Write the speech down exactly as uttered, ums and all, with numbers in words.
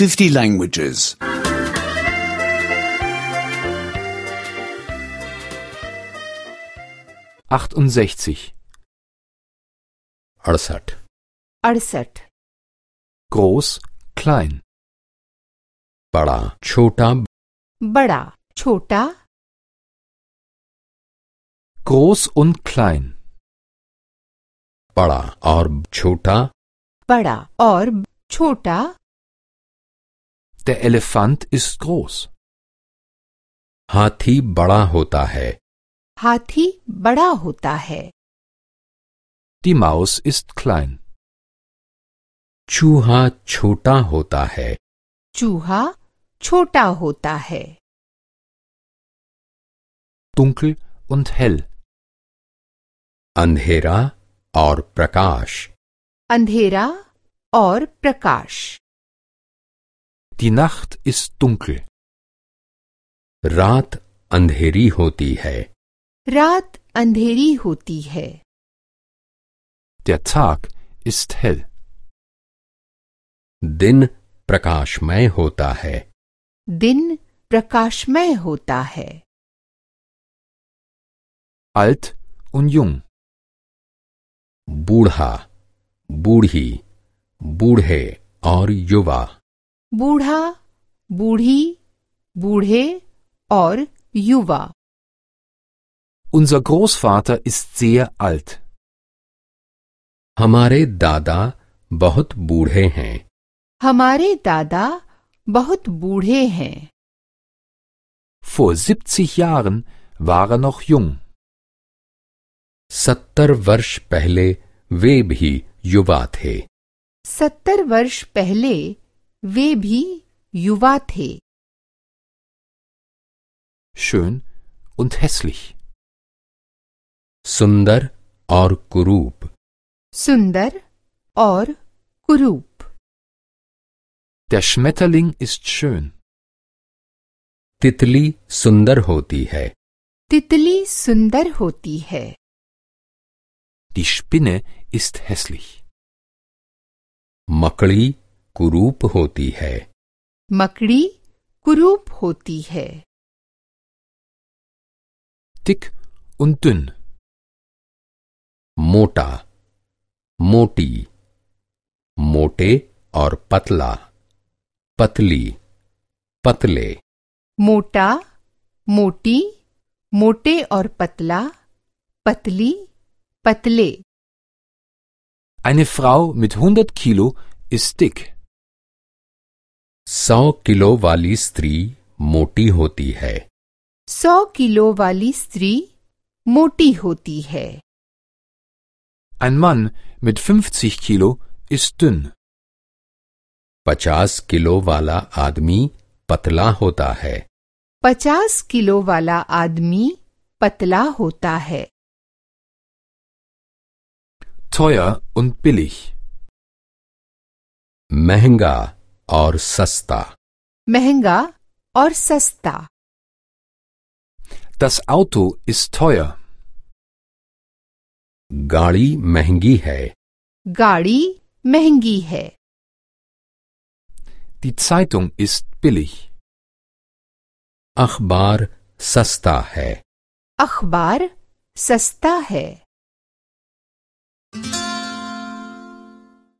fifty languages. achtundsechzig. अड़सठ अड़सठ Groß, klein. बड़ा छोटा बड़ा छोटा Groß und klein. बड़ा और छोटा बड़ा और छोटा Der Elefant ist groß. हाथी बड़ा होता है हाथी बड़ा होता है Die Maus ist klein. चूहा छोटा होता है चूहा छोटा होता है Dunkel und hell. अंधेरा और प्रकाश अंधेरा और प्रकाश Die Nacht ist dunkel. रात अंधेरी होती है रात अंधेरी होती है Der Tag ist hell. दिन प्रकाशमय होता है दिन प्रकाशमय होता है Alt und jung. बूढ़ा बूढ़ी बूढ़े और युवा बूढ़ा बूढ़ी बूढ़े और युवा Unser Großvater ist sehr alt. हमारे दादा बहुत बूढ़े हैं हमारे दादा बहुत बूढ़े हैं Vor siebzig Jahren war er noch jung. सत्तर वर्ष पहले वे भी युवा थे सत्तर वर्ष पहले वे भी युवा थे Schön und hässlich. सुंदर और कुरूप सुंदर और कुरूप Der Schmetterling ist schön. तितली सुंदर होती है तितली सुंदर होती है Die Spinne ist hässlich. मकड़ी कुरूप होती है मकड़ी कुरूप होती है Dick und dünn. मोटा मोटी मोटे और पतला पतली पतले मोटा मोटी मोटे और पतला पतली पतले Eine Frau mit hundert Kilo ist dick. सौ किलो वाली स्त्री मोटी होती है सौ किलो वाली स्त्री मोटी होती है Ein Mann mit fünfzig Kilo ist dünn. पचास किलो वाला आदमी पतला होता है पचास किलो वाला आदमी पतला होता है Teuer und billig. महंगा और सस्ता महंगा और सस्ता Das Auto ist teuer. गाड़ी महंगी है गाड़ी महंगी है Die Zeitung ist billig. अखबार सस्ता है अखबार सस्ता है